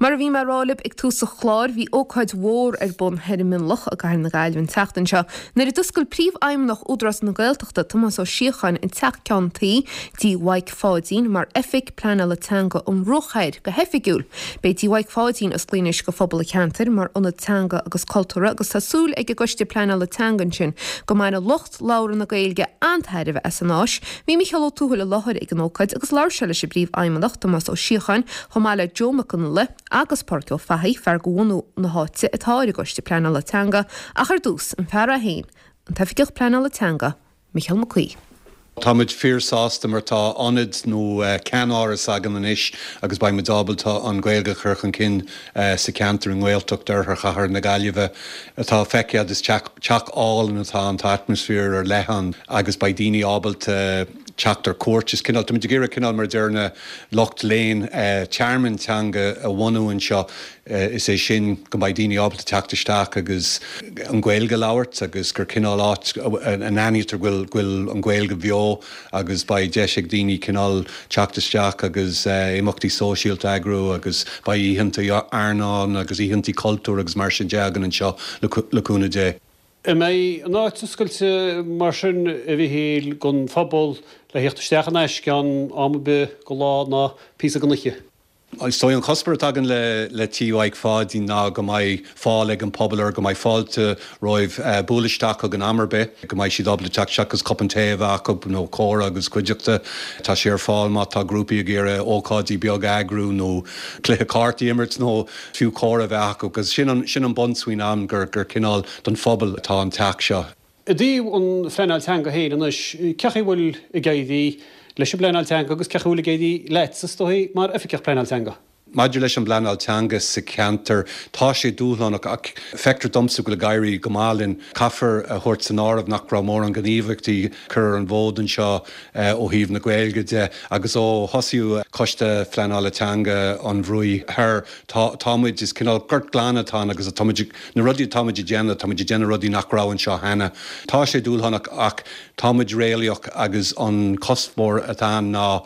Mar a bhí mé a rá libh ag tús an chláir, bhí ócáid mhór ar bun thoir i Mionlach i gCathair na Gaillimhe an tseachtain seo nuair a d'oscail Príomhfheidhmeannach Údarás na Gaeltachta, Tomás Ó Síocháin, an Teach Ceann Tuí, Tí Mhaidhc Pháidín, mar Oifig Pleanála Teanga an Bhruach Thoir go hoifigiúil. Beidh Tí Mhaidhc Pháidín osclaithe anois do phobal an cheantair mar ionad teanga agus cultúrtha agus tá súil ag an gCoiste Pleanála Teanga ansin go mbainfidh lucht labhartha na Gaeilge an-tairbhe as an áis. Bhí Micheál Ó Tuathail i láthair ag an ócáid agus labhair sé leis an bPríomhfheidhmeannach, Tomás Ó Síocháin, chomh maith le Joe Mac Fhionnghaile agus Pádraig Ó Fathaigh, fear de bhunú na háite atá ar an gCoiste Pleanála Teanga, ach ar dtús, an fear é féin, an tOifigeach Pleanála Teanga, Micheál Mac Aoidh. Tá muid fíor sásta mar tá ionad nó ceannáras againn anois agus beidh muid ábalta an Ghaeilge a chur chun cinn sa cheantar i nGaeltacht Oirthear Chathair na Gaillimhe. Atá feicthe agat is teach álainn atá ann, tá atmaisféar ar leith ann agus beidh daoine ábalta teacht ar cuairt. Is cineál, tá muid ag iarraidh cineál mar a deir na lucht léinn, tearmann teanga a bhunú anseo. Is é sin go mbeidh daoine ábalta teacht isteach agus an Ghaeilge a labhairt agus gur cineál áit a n-aithnítear go bhfuil an Ghaeilge bheo agus beidh deis ag daoine cineál teacht isteach agus imeachtaí sóisialta a eagrú agus beidh oícheanta airneáin agus oícheanta cultúir agus mar sin de againn anseo le cúnamh Dé. An mbeidh an áit oscailte mar sin, a Mhichíl, don phobal le theacht isteach in aisce ann am ar bith de lá ná píosa den oíche? Is dóigh an cuspóir atá againn le Tí Mhaidhc Pháidín ná go mbeidh fáil ag an pobal air, go mbeidh fáilte romhaibh bualadh isteach chugainn am ar bith, go mbeidh siad ábalta teacht isteach agus cupán tae a bheith acu nó comhrá agus cuideachta. Tá sé ar fáil má tá grúpaí ag iarraidh ócáidí beaga a eagrú nó cluiche cártaí a imirt nó fiú comhrá a bheith acu agus sin an sin an bunsmaoineamh ann gur cineál don phobal atá an teach seo. I dtaobh an phleanáil teanga féin anois, cé chaoi a bhfuil ag éirí leis an bpleanáil teanga agus cé chaoi a bhfuil ag éirí leatsa, is dóigh, mar Oifigeach Pleanáil Teanga? Maidir leis an bpleanáil teanga sa cheantar, tá sé dúshlánach ach feictear domsa go bhfuil ag éirí go maith linn. Caithfear a thabhairt san áireamh nach raibh mórán gníomhaíochtaí curtha ar an bhfód anseo ó thaobh na Gaeilge de agus ó thosaíodh Coiste Phleanála Teanga an Bhruaigh Thoir, tá tá muid, is cineál gort glan atá ann agus tá muid ag Na rudaí atá muid ag déanamh, tá muid ag déanamh rudaí nach raibh anseo cheana. Tá sé dúshlánach ach tá muid réalaíoch agus an cuspóir atá ann ná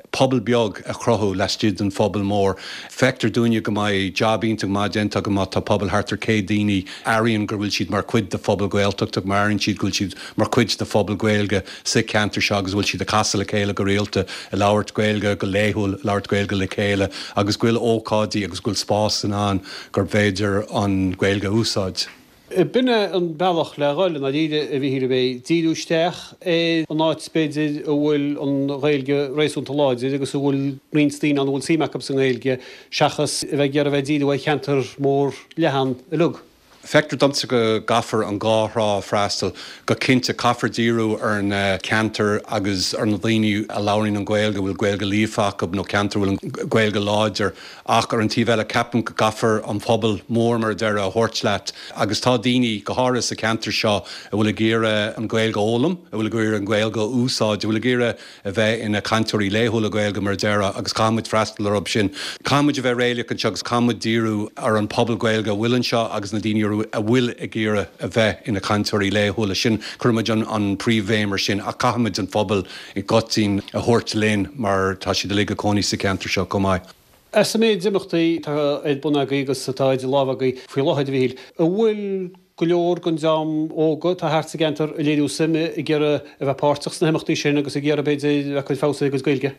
pobal beag a chruthú laistigh den phobal mór. Feictear dúinne go mbeidh jab iontach maith déanta againn má tá pobal thart ar 100 daoine airíonn go bhfuil siad mar chuid de phobal Gaeltachta, má airíonn siad go bhfuil siad mar chuid de phobal Gaeilge sa cheantar seo agus go bhfuil siad ag casadh le chéile go rialta, ag labhairt Gaeilge go laethúil, ag labhairt Gaeilge le chéile agus go bhfuil ócáidí agus go bhfuil spásanna ann gurb fhéidir an Ghaeilge a úsáid. B'in é an bealach le dhul, i ndáiríre, a Mhichíl, ab é? Díriú isteach ar an áit, b'fhéidir, a bhfuil an Ghaeilge réasúnta láidir agus a bhfuil roinnt daoine ann a bhfuil suim acu sa nGaeilge, seachas a bheith ag iarraidh a bheith ag díriú ar cheantar mór leathan uilig. Feictear domsa go gcaithfear an dhá thrá a freastal. Go cinnte, caithfear díriú ar na ceantair agus ar na daoine a labhraíonn an Ghaeilge, a bhfuil Gaeilge líofa acu nó ceantair a bhfuil an Ghaeilge láidir. Ach ar an taobh eile, ceapaim go gcaithfear an pobal mór, mar a déarfá, a thabhairt leat. Agus tá daoine, go háirithe sa cheantar seo, a bhfuil ag iarraidh an Ghaeilge a fhoghlaim, a bhfuil ag iarraidh an Ghaeilge a úsáid, a bhfuil ag iarraidh a bheith ina cainteoirí laethúla Gaeilge, mar a déarfá, agus caithfidh muid freastal orthu sin. Caithfidh muid a bheith réalaíoch anseo agus caithfidh muid díriú ar an pobal Gaeilge a bhfuil anseo agus na daoine a bhfuil ag iarraidh a bheith ina cainteoirí laethúla. Sin, cuirfidh muid an príomhbhéim ar sin ach caithfidh muid an phobal i gcoitinn a thabhairt linn mar tá siad uilig ag cónaí sa cheantar seo chomh maith. As an méid imeachtaí atá ar bun agaibh agus atá idir lámha agaibh faoi láthair, a Mhichíl, an bhfuil go leor den dream óg atá thart sa gceantar ag léiriú suime, ag iarraidh a bheith páirteach sna himeachtaí sin agus ag iarraidh, b'fhéidir, a bheith ag cur feabhas ar a gcuid Gaeilge?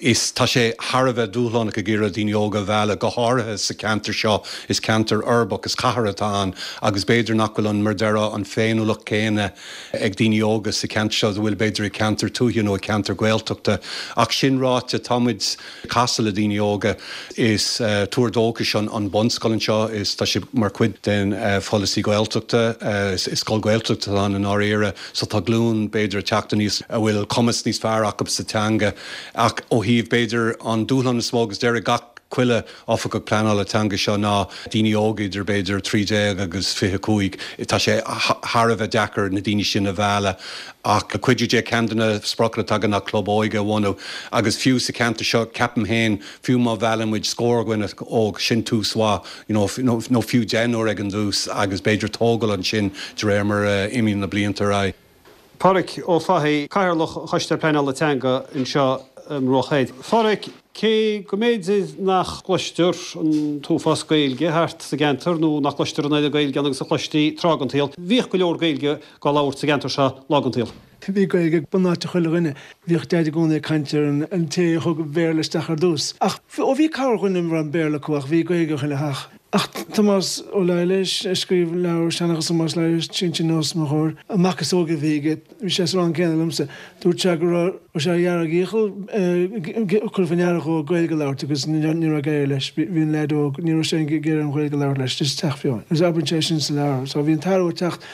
Is tá sé thar a bheith dúshlánach ag iarraidh daoine óga a mhealladh, go háirithe sa cheantar seo. Is ceantar uirbeach, is cathair atá ann agus b'fhéidir nach bhfuil an, mar a déarfá, an féiniúlacht chéanna ag daoine óga sa cheantar seo is a bhfuil b'fhéidir i gceantar tuaithe nó i gceantar Gaeltachta. Ach sin ráite, tá muid ag casadh le daoine óga. Is tuar dóchais an bunscoil anseo. Is tá sé mar chuid den pholasaí Gaeltachta. Is scoil Ghaeltachta atá ann i ndáiríre. So tá glúin b'fhéidir ag teacht aníos a bhfuil cumas níos fearr acu sa teanga. Ach ó thaobh b'fhéidir an dúshlán is mó agus déarfaidh gach chuile oifigeach pleanála teanga seo ná daoine óga idir b'fhéidir 13 agus 25. Tá sé thar a bheith deacair na daoine sin a mhealladh ach le cuidiú Dé ceann de na spriocanna atá againn ná club óige a bhunú agus fiú sa cheantar seo ceapaim féin fiú má mheallann muid scór dhuine óg sin tús mhaith you know nó fiú deichniúr ag an dtús agus b'fhéidir tógáil ansin de réir mar a imíonn na blianta ar aghaidh. Páraic Ó Fathaigh, Cathaoirleach Choiste Pleanála Teanga anseo i mBruach Thoir. Pháraic, Cé go mb'fhéidir nach gcloistear an t-uafás Gaeilge thart sa gceantar nó nach gcloistear an oiread Gaeilge ann agus a chloistí tráth den tsaol, bhíodh go leor Gaeilge á labhairt sa gceantar seo lá den tsaol. Bhí Gaeilge ag bunáite chuile dhuine. Bhíodh Deaid i gcónaí ag caint ar an té a thug an Béarla isteach ar dtús. Ach, ó bhí corrdhuine a raibh an Béarla acu ach bhí Gaeilge ag chuile theach. Ach Tomás Ó Laighléis, a scríobh leabhar Seanchas Thomáis Laighléis, Sinsear os mo chomhair, an mac is óige a bhí aige, bhí sé sa rang céanna liomsa, dúirt sé go raibh sé ar dhearg iachall cur faoi ndeara dhó Gaeilge a labhairt agus ní raibh ag éirí leis, bhí an leaid óg, ní raibh sé ag iarraidh an Ghaeilge a labhairt leis, just teach fiáin. Agus abraíonn sé sin sa leabhar. So bhí an t-athrú ag teacht.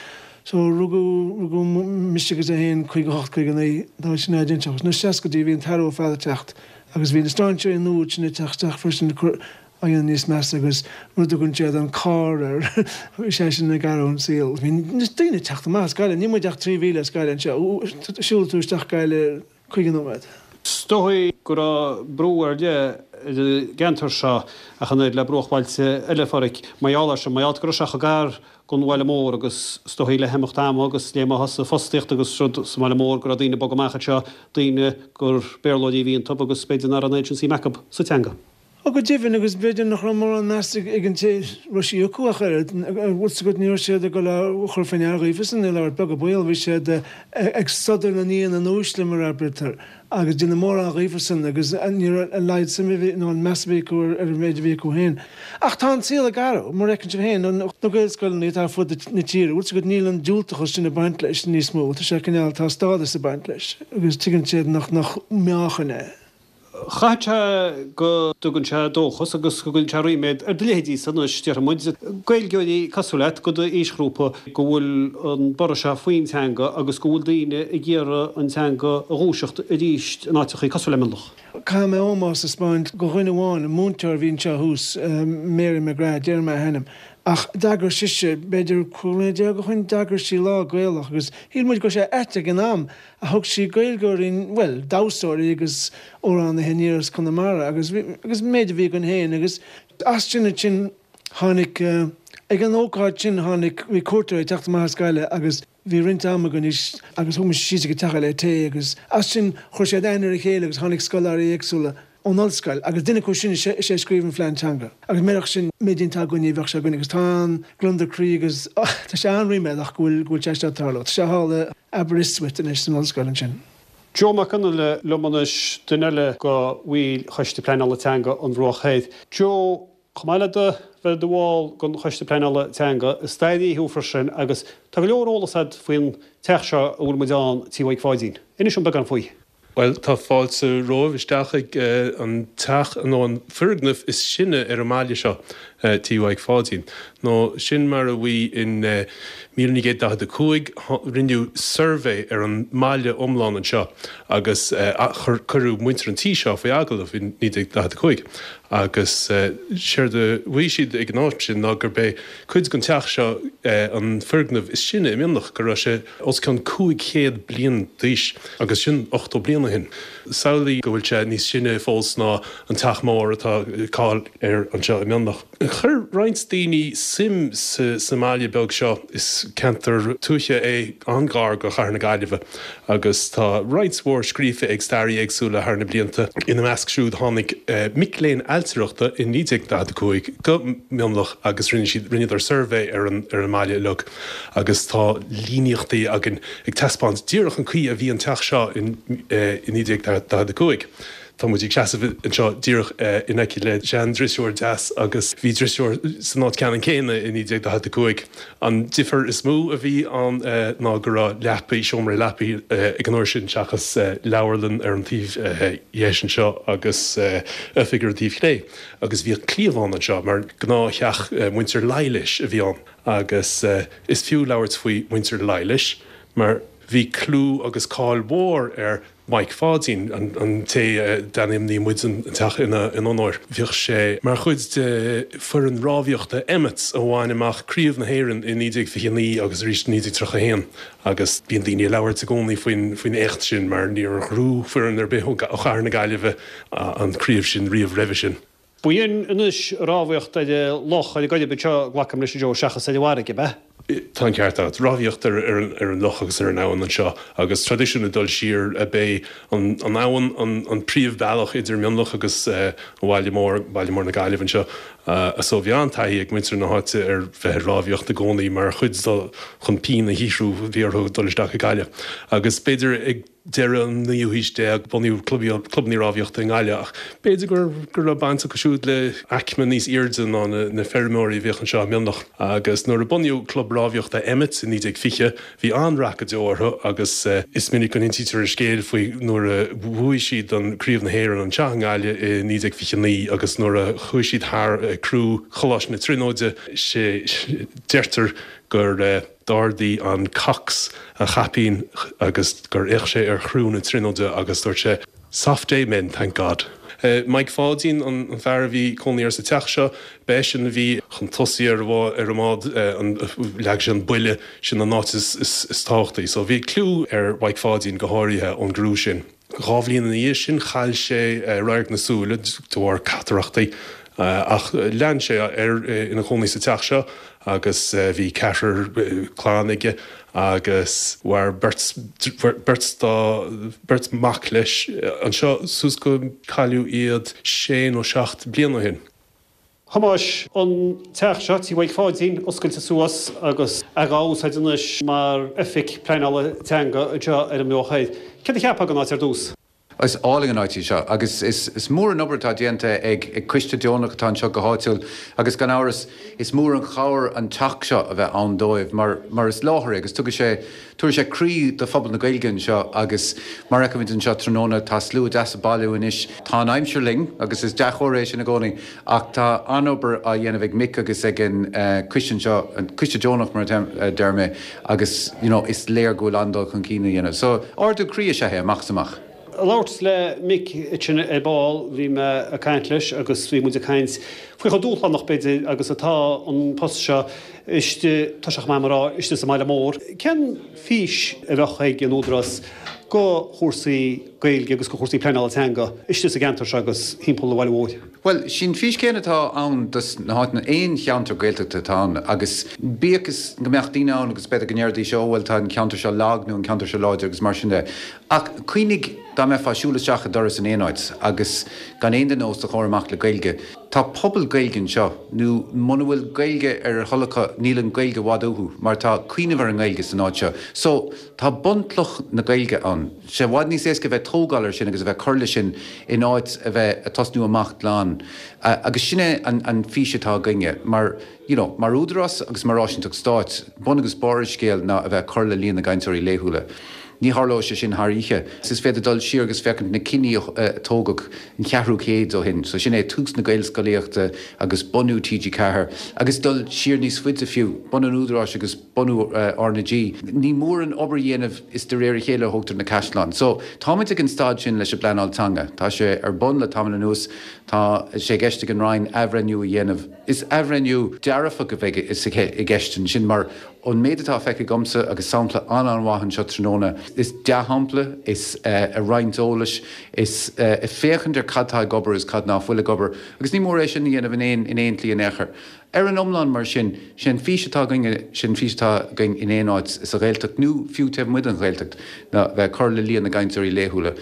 So rugadh, rugadh mise agus é féin, 58, 59, tá sin déanta. Sna seascaidí bhí an t-athrú ar fad ag teacht agus bhí na strainséirí nua sin ag teacht isteach freisin ag cur, á dhéanamh níos measa agus rud a dtugann siad an carr air, bhí sé sin ag athrú an saol. Bhí na daoine ag teacht amach as Gaillimh, níl muid ach 3,000 as Gaillimh anseo, siúlfaidh tú isteach Gaillimh 50 nóiméad. Is dóigh go raibh brú ar leith ar an gceantar seo ach an oiread le bruachbhailte eile, a Pháraic, mar gheall air sin, mar gheall go raibh sé chomh gar don bhaile mór agus is dóigh le himeacht ama agus le má thosaigh fostaíocht agus rud sa mbaile mór go raibh daoine ag bogadh amach anseo, daoine gur Béarlóirí a bhí iontu agus b'fhéidir nach raibh an oiread sin suim acu sa teanga. Ó go deimhin, agus b'fhéidir nach raibh mórán meas ag an té a raibh sí acu ach oiread, bhfuil 's agat, ní raibh siad ag dul á chur faoi ndeara dhaofasan, ag labhairt beag an baol, bhí siad ag sodar na n-éan in uaisle, mar a abraítear, agus déanamh mórán dhaofasan, agus ní raibh a laghad suime a bhí, nó an meas a bhí acu ar an mhéid a bhí acu féin. Ach tá an saol ag athrú, mar a fheiceann sibh féin, na Gaelscoileanna atá ar fud na tíre, bhfuil 's agat, níl an diúltachas sin ag baint leis níos mó, tá sé cineál, tá stádas ag baint leis, agus tuigeann siad nach, nach meáchan é. Chaithfeadh sé go dtugann sé dóchas agus go gcuireann sé ríméad ar do leithéidísa anois, déarfaidh muid, Gaeilgeoirí cosúil leat, de d'aoisghrúpa, go bhfuil an borradh seo faoin teanga agus go bhfuil daoine ag iarraidh an teanga a dhúiseacht arís in áiteachaí cosúil le Mionlach. Caithfidh mé ómós a 'speáint do dhuine amháin, an múinteoir a bhí anseo thuas, Mary McGrath, déarfaidh mé a hainm, ach d'eagraigh sise, b'fhéidir 15 bliana ó shin, d'eagraigh sí lá Gaelach agus shíl muid go raibh sé ait ag an am, Ach thug sí Gaeilgeoirí, bhuel, damhsóirí agus amhránaithe aniar as Conamara agus agus an méid a bhí againn féin agus as sin ansin tháinig, ag an ócáid sin tháinig, bhí cuairteoirí ag teacht amach as Gaillimh agus bhí roinnt ama againn agus thug muid síos ag an teach le tae agus as sin chuir siad aithne ar a chéile agus tháinig scoláirí éagsúla ón ollscoil agus duine acu sin is é a scríobh an phlean teanga agus murach sin méid atá againn ní bheadh sé againn agus tá an-gliondar croí agus tá sé an-ríméadach go bhfuil go bhfuil sé seo ag tarlú. Tá sé thall i Aberystwyth anois san ollscoil ansin. Joe Mac Fhionnghaile liom anois, duine eile de bhaill Choiste Pleanála Teanga an Bhruach Thoir. Joe, chomh maith le do bheith i do bhall den Choiste Pleanála Teanga, is staraí thú freisin agus tá go leor eolas agat faoin teach seo a bhfuil muid ann, Tí Mhaidhc Pháidín. Inis dom beagán faoi. Bhuel, tá fáilte romhaibh isteach ag an teach, nó an foirgneamh is sine ar an mbaile seo, Tí Mhaidhc Pháidín. Nó sin mar a bhí in 1945, rinneadh suirbhé ar an mbaile iomlán anseo agus cuireadh muintir an tí seo faoi agallamh in 1945. Agus séard a mhaígh siad ag an am sin ná gurb é cuid den teach seo an foirgneamh is sine i Mionlach, go raibh sé os cionn 500 bliain d'aois, agus sin 80 bliain ó shin. Samhlaigh go bhfuil sé níos sine fós ná an teach mór atá cáil air anseo i Mionlach. Chuir roinnt daoine suim sa mbaile beag seo. Is ceantar tuaithe é an-ghar do chathair na Gaillimhe agus tá roinnt mhór scríofa ag staraithe éagsúla thar na blianta. Ina measc siúd tháinig mic léinn ailtireachta i 1945 go Mionlach agus rinne siad, rinneadar suirbhé ar an mbaile uilig agus tá líníochtaí againn ag taispeáint díreach an caoi a bhí an teach seo in 1945. Tá muid ag seasamh anseo díreach in aice le sean-drisiúr deas agus bhí drisiúr san áit ceannann céanna i 1945. An difear is mó a bhí ann ná go raibh leapaí, seomra leapaí ag an uair sin seachas leabharlann ar an taobh dheis anseo agus oifig ar an taobh chlé. Agus bhíodh cliabhán anseo mar gnáth-theach muintir Laighléis a bhí ann agus is fiú labhairt faoi mhuintir Laighléis mar bhí clú agus cáil mhór ar Mhaidhc Pháidín, an té a d'ainmnigh muid an teach ina onóir. Bhíodh sé mar chuid de foireann rámhaíochta Emmets a bhain amach Craobh na hÉireann i 1929 agus arís i 1931 agus bíonn daoine ag labhairt i gcónaí faoin éacht sin mar níor ghnóthaigh foireann ar bith ó chathair na Gaillimhe an chraobh sin riamh roimhe sin. B'in anois rámhaíocht ar an loch, ar an gCoirib anseo, glacaim leis, a Joe, seachas ar an bhfarraige, ab ea? Tá an ceart agat. Rámhaíocht ar ar an loch agus ar an abhainn anseo agus traidisiún ag dul siar b'é an abhainn an príomhbhealach idir Mionlach agus an bhaile mór, baile mór na Gaillimhe anseo. So bhí an-taithí ag muintir na háite ar bheith ag rámhaíocht i gcónaí mar chuid de chun pian a shaothrú bhí orthu dul isteach ag Gaillimh. Agus b'fhéidir ag deireadh an naoú haois déag bunaíodh clubanna rámhaíochta i nGaillimh ach b'fhéidir go go raibh baint acu siúd le aicme níos airde ná na feirmeoirí a bhíodh anseo i Mionlach. Agus nuair a bunaíodh Club Rámhaíochta Emmets i 1920 bhí an-rath go deo orthu agus is minic go n-insítear an scéal faoi nuair a bhuaigh siad an Craobh na hÉireann anseo i nGaillimh i 1929 agus nuair a chuaigh siad thar criú Choláiste na Tríonóide sé deirtear gur D'ardaigh an cox a chaipín agus gur fhéach sé ar chriú na Tríonóide agus dúirt sé, Soft day men, thank God. Mike Pháidín an fear a bhí cónaí air sa teach seo. B'eisean a bhí chun tosaigh ar an mbád, leag sé an buille, sin an áit is tábhachtaí. So bhí clú ar Mhike Pháidín go háirithe ón gcriú sin. 2 bhliain ina dhiaidh sin chaill sé radharc na súile de bharr catarachtaí ach lean sé air ina chónaí sa teach seo agus bhí ceathrar clann aige agus mhair beirt beirt dá beirt mac leis anseo suas go cailleadh iad sé nó 7 bliana ó shin. Thomáis, an teach seo, Tí Mhaidhc Pháidín, oscailte suas agus é dhá úsáid anois mar oifig pleanála teanga anseo ar an mBruach Thoir. Céard a cheapfá den áit ar dtús? Is álainn an áit í seo agus is mór an obair atá déanta ag coiste deonach atá anseo go háitiúil agus gan amhras is mór an chabhair an teach seo a bheith ann dóibh mar mar is láthair é agus tugann sé Tabharfaidh sé croí do phobal na Gaeilge anseo agus mar a fheicimid anseo tráthnóna tá slua deas ag bailiú anois. Tá an aimsir linn agus is dea-chomhartha é sin i gcónaí ach tá an-obair á dhéanamh ag Mick agus ag an coiste anseo, an coiste deonach mar a deir mé agus you know is léir go bhfuil an-dul chun cinn á dhéanamh. So ardú croí is ea é amach is amach. Ag labhairt le Mick ansin ar ball bhí mé ag caint leis agus bhí muid ag caint faoi chomh dúshlánach b'fhéidir agus atá an post seo istigh, tá sé chomh maith liom a rá, istigh sa mbaile mór. Cén fís a bheadh ag an Údarás go chúrsaí Gaeilge agus go chúrsaí pleanála teanga istigh sa gceantar seo agus thimpeall an bhaile mhóir? Bhuel, sin fís céanna atá ann dos na háiteanna, aon cheantar Gaeltachta atá ann agus bíodh is go mbeadh daoine ann agus b'fhéidir go ndéarfaidís ó bhuel tá an ceantar seo lag nó an ceantar seo láidir agus mar sin de. Ach cuimhnigh dá mbeifeá ag siúl isteach i doras in aon áit agus gan aon duine os do chomhair amach le Gaeilge, Tá pobal Gaeilge anseo, nó muna bhfuil Gaeilge ar a thoil acu, níl an Ghaeilge i bhfad uathu, mar tá cuimhneamh ar an nGaeilge san áit seo. So, tá bunchloch na Gaeilge ann. Tá sé i bhfad níos éasca a bheith ag tógáil ar sin agus a bheith ag cur leis sin in áit a bheith ag tosnú amach glan. Agus sin é an fís atá againne, mar, you know, mar údarás agus mar áisínteacht stáit, bun agus barr an scéil ná a bheith ag cur le líon na gcainteoirí laethúla. Ní tharlóidh sé sin thar oíche. Is féidir dul siar agus féachaint na cinní a tógadh an cheathrú chéid ó shin, so sin é tús na Gaelscolaíochta agus bunú TG4, agus dul siar níos faide fiú, bunú an Údaráis agus bunú RnaG. Ní mór an obair a dhéanamh, is de réir a chéile a thógtar na caisleáin. So, táimid ag an staid sin leis an bpleanáil teanga. Tá sé ar bun le tamall anuas. Tá sé i gceist ag an Roinn athbhreithniú a dhéanamh. Is athbhreithniú dearfach a bheidh i gceist ansin mar Ón méid atá feicthe agamsa, agus sampla an-an-mhaith anseo tráthnóna, is dea-shampla, is ag roinnt eolais, is ag féachaint ar cad tá ag obair agus cad ná fuil ag obair, agus ní mór é sin a dhéanamh in aon in aon tslí in aon chor. Ar an iomlán, mar sin, sé an fís atá againne, sé an fís atá againn in aon áit sa Ghaeltacht nó fiú taobh amuigh den Ghaeltacht, ná bheith ag cur le líon na gcainteoirí laethúla.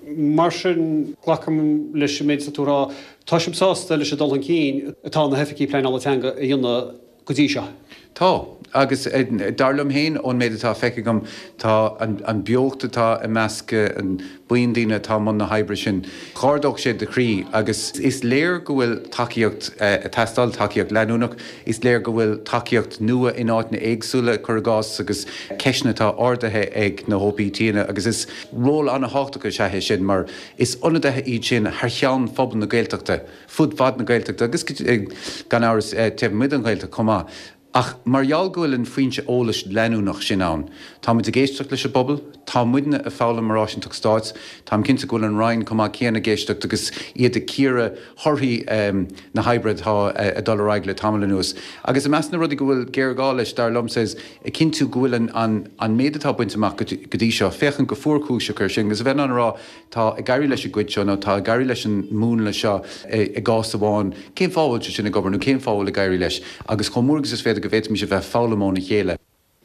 Mar sin, glacaim leis an méid atá tú a rá, tá sibh sásta leis an dul chun cinn atá na hoifigí pleanála teanga a dhéanamh go dtí seo. Tá. Agus dar liom féin, ón méid atá feicthe agam, tá an beocht atá i measc an buíon daoine atá i mbun na hoibre sin, dh'ardódh sé do chroí. Agus is léir go bhfuil tacaíocht ag teastáil, tacaíocht leanúnach. Is léir go bhfuil tacaíocht nua in áiteanna éagsúla, cuir i gcás, agus ceisteanna atá ardaithe ag na HOPTanna. Agus is ról an-thábhachtach is ea é sin, mar is ionadaithe iad sin thar cheann phobal na Gaeltachta. fud fad na Gaeltachta agus gan amhras taobh amuigh den Ghaeltacht chomh maith. Ach mar gheall go bhfuil an foinse eolais leanúnach sin ann, táimid ag éisteacht leis an bpobal, Tá muidne ag foghlaim mar áisínteacht stáit. Táim cinnte go bhfuil an Roinn chomh maith céanna ag éisteacht agus iad ag cíoradh thorthaí na hoibre atá ag dul ar aghaidh le tamall anuas. Agus i measc na rudaí go bhfuil géarghá leis, dar liomsa, is ag cinntiú go bhfuil an méid atá bainte amach go dtí seo, féachaint go fuarchúiseach air sin agus a bheith in ann a rá, tá ag éirí leis an gcuid seo nó tá ag éirí leis an múnla seo i gcás amháin, cén fáth a bhfuil sé sin ag obair nó cén fáth a bhfuil ag éirí leis? Agus chomh mór agus is féidir go bhféadfaimis a bheith ag foghlaim óna chéile.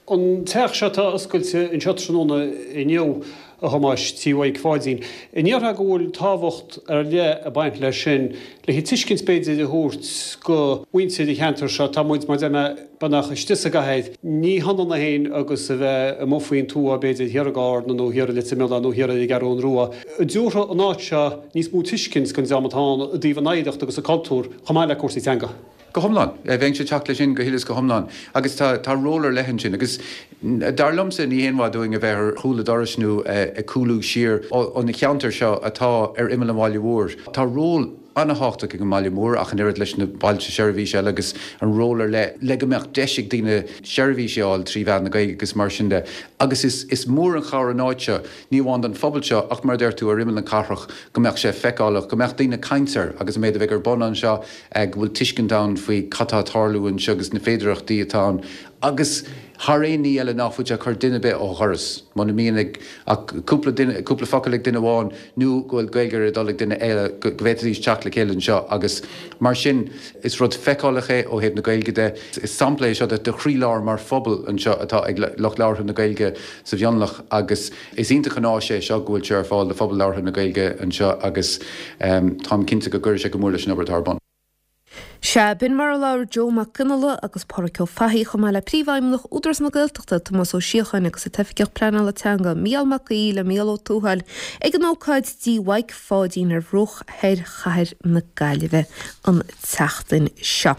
An teach seo atá oscailte anseo tráthnóna inniu, a Thomáis, Tí Mhaidhc Pháidín. An ndéarfá go bhfuil tábhacht ar leith ag baint leis sin, le tuiscint b'fhéidir a thabhairt go mhuintir an cheantair seo, tá muid, mar a deir mé, beagnach istigh sa gcathair, ní hionann é féin agus a bheith amuigh faoin tuath b'fhéidir thiar i gCarna nó thiar i Leitir Mealláin nó thiar ar an gCeathrún Rua. An dtabharfadh an áit seo níos mó tuiscint don dream atá ann i dtaobh an oidhreacht agus an cultúr chomh maith le cúrsaí teanga? Go hiomlán. Bheinnse ag teacht leis sin go huile is go hiomlán. Agus tá, tá ról ar leith ansin. Agus dar liomsa, ní haon mhaith dúinn a bheith ar chúl an dorais nó ag cúlú siar ó na ceantair seo atá ar imeall an bhaile mhóir. Tá ról an-thábhachtach ag an mbaile mór ach an oiread leis na bailte seirbhíse eile agus an ról ar leith le go mbeadh deis ag daoine seirbhísí a fháil trí mheán na Gaeilge agus mar sin de. Agus is, is mór an chabhair an áit seo. Ní amháin don phobal seo ach mar a deir tú, ar imeall na cathrach, go mbeadh sé feiceálach, go mbeadh daoine ag caint air agus an méid a bheidh ar bun anseo, go bhfuil tuiscint ann faoi cad tá ag tarlú anseo agus na féidearthachtaí atá ann agus thar aon ní eile ná fuil sé ag cur duine ar bith ó dhoras. Muna mbíonn ag ach cúpla duine, cúpla focal ag duine amháin nó go bhfuil Gaeilge ar a dtoil ag duine eile, go bhféadfaidís teacht le chéile anseo agus mar sin is rud feiceálach é ó thaobh na Gaeilge de. Is sampla é seo de chroílár mar phobal anseo atá ag lucht labhartha na Gaeilge sa Mhionlach agus is iontach an áis é seo go bhfuil sé ar fáil do phobal labhartha na Gaeilge anseo agus táim cinnte go gcuirfidh sé go mór leis an obair atá ar bun. Sea, b'in mar a labhair Joe Mac Fhionnghaile agus Pádraic Ó Fathaigh chomh maith le Príomhfheidhmeannach Údarás na Gaeltachta, Tomás Ó Síocháin agus an tOifigeach Pleanála Teanga, Mícheál Mac Aoidh le Mícheál Ó Tuathail ag an ócáid Tí Mhaidhc Pháidín ar bhruach thoir chathair na Gaillimhe an tseachtain seo.